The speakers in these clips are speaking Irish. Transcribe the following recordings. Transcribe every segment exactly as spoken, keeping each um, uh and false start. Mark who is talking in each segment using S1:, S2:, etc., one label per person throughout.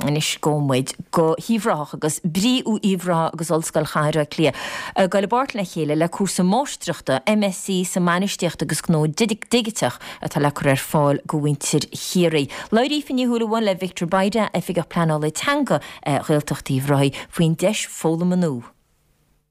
S1: Anois gabhfaidh muid go hUíbh Ráthach agus BRÍ Uíbh Ráthach agus Ollscoil Chathair Átha Cliath. Ag dul i bpáirt le chéile le cúrsa máistreachta MSc sa mbainistíocht agus gnó digiteach atá le cur ar fáil go mhuintir Chiarraí. Labhair Aoife Ní Shúilleabháin le Victor Bayda oifigeach pleanála teanga Ghaeltacht Uíbh Ráthaigh faoin deis foghlama nua.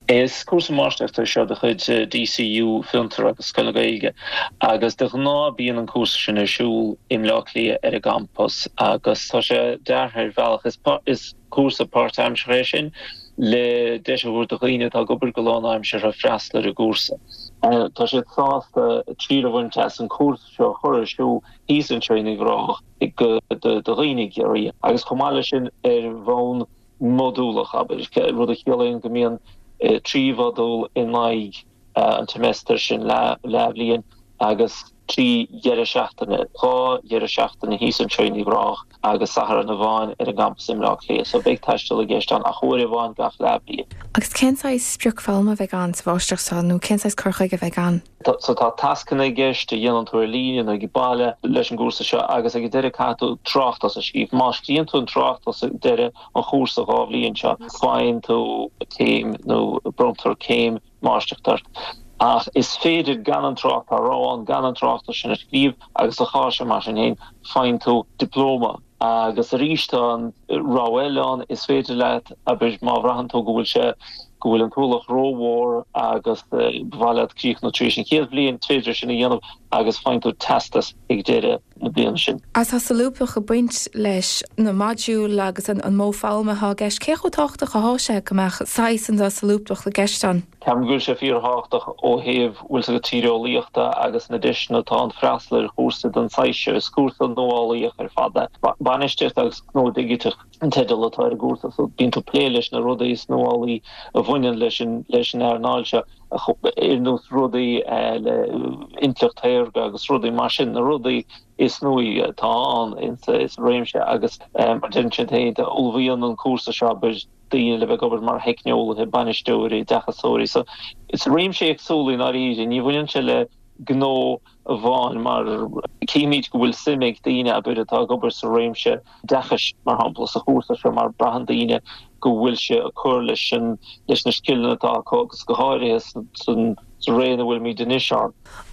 S2: Is cúrsa máistreachta seo de chuid DCU Fiontar agus Scoil na Gaeilge agus de ghnáth bíonn an cúrsa sin ar siúl i mBleá Cliath ar an gcampas agus tá sé deartha ar bhealach is, is cúrsa páirtaimseartha é sin le deis a thabhairt do dhaoine atá ag obair go lánaimseartha freastal ar an gcúrsa. Tá sé sásta triail a bhaint as an cúrsa seo chur ar siúl thíos anseo in Uíbh Ráthach do dhaoine Chiarraí agus chomh maith leis sin ar bhonn modúlach abair rud a chiallaíonn go mbíonn trí mhodúl in aghaidh an tsemester sin leathbhliain agus trí dheireadh seachtaine dhá dheireadh seachtaine thíos anseo in Uíbh Ráthach agus Satharn amháin ar an gcampas i mBleá Cliath, so beidh taisteal i gceist ann ach uair amháin gach leathbhliain.
S3: Agus cén saghas sprioc foghlama a bheidh ann sa mháistreacht seo nó cén saghas cur chuige a bheidh ann?
S2: So tá tascanna i gceist a dhéanann tú ar líne nó ag baile leis an gcúrsa seo agus ag deireadh caithfidh tú tráchtas a scríobh. Má scríobhann tú an tráchtas ag deireadh an chúrsa dhá bhliain seo, faigheann tú céim nó bronntar céim máistreachta ort. Ach is féidir gan an trácht rá gan an tráchtas sin a scríobh agus a chás mar sin féin faigheann tú dioplóma. Agus arís tá an rogha eile ann is féidir leat abair má bhraitheann tú go bhfuil sé go bhfuil an t-ualach rómhór agus ba mhaith leat críochnú tar éis an chéad bhliain féidir sin a dhéanamh agus faigheann tú teastas ag deireadh na bliana sin.
S3: As tá solúbthacht ag baint leis na modúil agus an, an modh foghlama atá i gceist cé chomh tábhachtach atá sé go mbeadh saghas an dá solúbthacht i gceist ann.
S2: Ceapaim go bhfuil sé fíorthábhachtach ó thaobh bhfuil sa tíreolaíochta agus na deiseanna atá ann freastal ar chúrsa den saghas seo is cúrsa nuálaíoch ar fad é. Bainistíocht agus gnó digiteach an teideal atá ar an gcúrsa, so bíonn tú plé leis na rudaí is nuálaí a bhaineann leis an leis an earnáil seo ar nós rudaí le intleacht shaorga agus rudaí mar sin na rudaí is nuaí atá ann is réimse agus mar den sin féin ullmhaíonn an cúrsa seo daoine le bheith ag obair mar theicneolaithe bainisteoirí oideachasóirí so is réimse éagsúil i ndáiríre ní bhaineann sé le gnó amháin mar címid go bhfuil suim ag daoine abair atá ag obair sa réimse oideachais mar shampla sa chúrsa seo mar braitheann daoine go bhfuil sé ag cur leis an leis na scileanna atá acu agus go háirithe san sa ré ina bhfuilimid anois ann.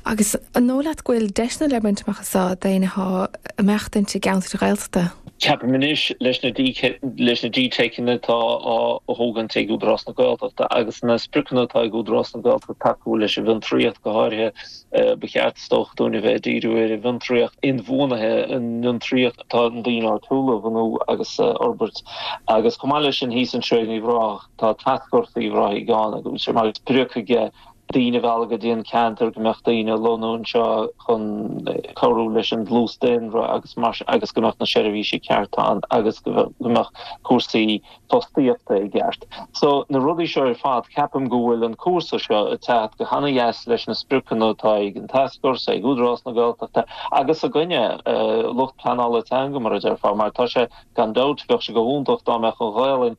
S3: Agus an dóigh leat go bhfuil deiseanna le baint amach as daoine atá ag maireachtaint i gceantar Ghaeltachta.
S2: Ceapaim anois leis na leis na DTeiceanna atá á thógaint ag Údarás na Gaeltachta agus na spriocanna atá ag Údarás na Gaeltachta tacú leis an bhfiontraíocht go háirithe ba cheart is dócha dúinn a bheith díriú ar an bhfiontraíocht inbhuanaithe an fhiontraíocht atá an daoine áitiúla a bhunú agus fhorbairt agus chomh maith leis sin thíos anseo in Uíbh Ráthach tá tascfhórsa Uíbh Ráthaigh ann agus sé mar sprioc aige daoine a mhealladh go dtí an ceantar go mbeadh daoine lonnaithe anseo chun cabhrú leis an dlús daonra agus mar agus go mbeadh na seirbhísí ceart ann agus go mbeadh cúrsaí fostaíochta i gceart. So na rudaí seo ar fad ceapaim go bhfuil an cúrsa seo ag teacht go han-deas leis na spriocanna atá ag an tascfhórsa ag Údarás na Gaeltachta agus againne uh, lucht pleanála teanga mar a déarfá mar tá sé gan dabht bheadh sé go hiontach dá mbeadh an Ghaelainn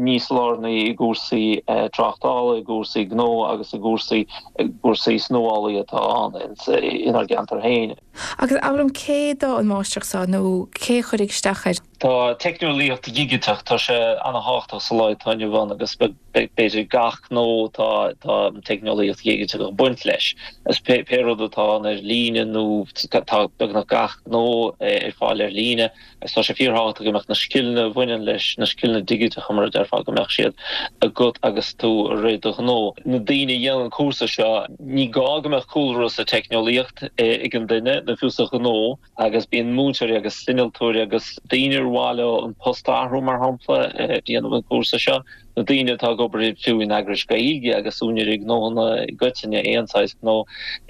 S2: níos lárnaí i gcúrsaí uh, tráchtála i gcúrsaí gnó agus i gcúrsaí gcúrsaí is nuálaí atá ann inár gceantar féin.
S3: Agus abair liom cé dó an máistreacht seo nó cé chuirfidh isteach air?
S2: Tá teicneolaíocht dhigiteach tá sé an-tábhachtach sa lá atá inniu ann agus b'fhéidir gach gnó tá tá teicneolaíocht dhigiteach ag baint leis. Is pé pé rud atá ann ar líne nó tá beagnach gach gnó ar fáil ar líne is tá sé fíorthábhachtach go mbeadh na scileanna a bhaineann leis na scileanna digiteacha mar a déarfá go mbeadh siad agat agus tú ag rith do ghnó. Na daoine a dhéanann an cúrsa seo ní gá go mbeadh cúlra sa teicneolaíocht ag an duine nó fiú sa ghnó agus bíonn múinteoirí agus innealtóirí agus daoine ar mhaith leo an post a athrú mar shampla déanamh an cúrsa seo na daoine atá ag obair fiú in eagrais Gaeilge agus úinéirí gnónna i gcoitinne aon saghas gnó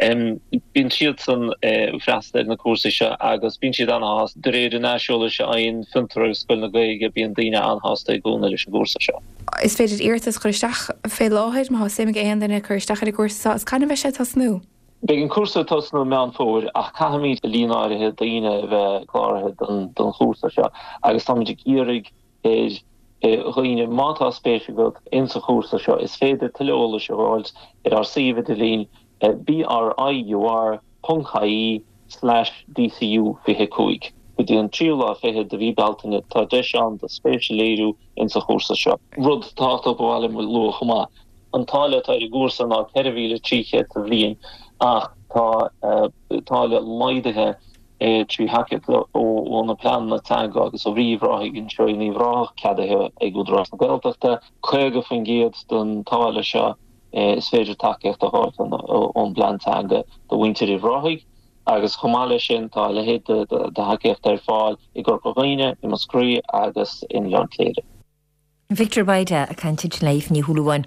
S2: bíonn siad san freastal ar na cúrsaí seo agus bíonn siad an-shásta de réir an aiseolais a fhaigheann Fiontar agus Scoil na Gaeilge bíonn daoine an-shásta i gcónaí leis an gcúrsa seo.
S3: Is féidir iarratas chur isteach fé láthair má tá suim ag aon duine cur isteach ar an gcúrsa seo is cathain a bheidh sé ag tosnú.
S2: Beidh an cúrsa ag tosnú Meán Fómhair ach caithfimid líon áirithe daoine a bheith cláraithe don don chúrsa seo agus táimid ag iarraidh ar dhaoine má tá spéis agat in sa chúrsa seo is féidir tuilleadh eolais a fháil ar ár suíomh idirlín briur ponc ie slash DCU fiche cúig. go dtí an tríú lá fichead de mhí Bealtaine tá deis ann do spéis a léiriú insa chúrsa seo. Rud tábhachtach ba mhaith liom a lua chomh maith, an táille atá ar an gcúrsa ná ceithre mhíle trí chéad sa bhliain ach tá táille laghdaithe trí thacaíocht ó na pleananna teanga agus ó Bhrí Uíbh Ráthaigh anseo in Uíbh Ráthach, ceadaithe ag Údarás na Gaeltachta. caoga faoin gcéad den táille seo is féidir tacaíocht a fháil ón bplean teanga do mhuintir Uíbh Ráthaigh agus chomh maith leis sin tá a leithéid de thacaíocht ar fáil i gCorca Dhuibhne, i Múscraí agus in Oileán Cléire.
S1: Victor Bayda ag caint le Aoife Ní Shúilleabháin.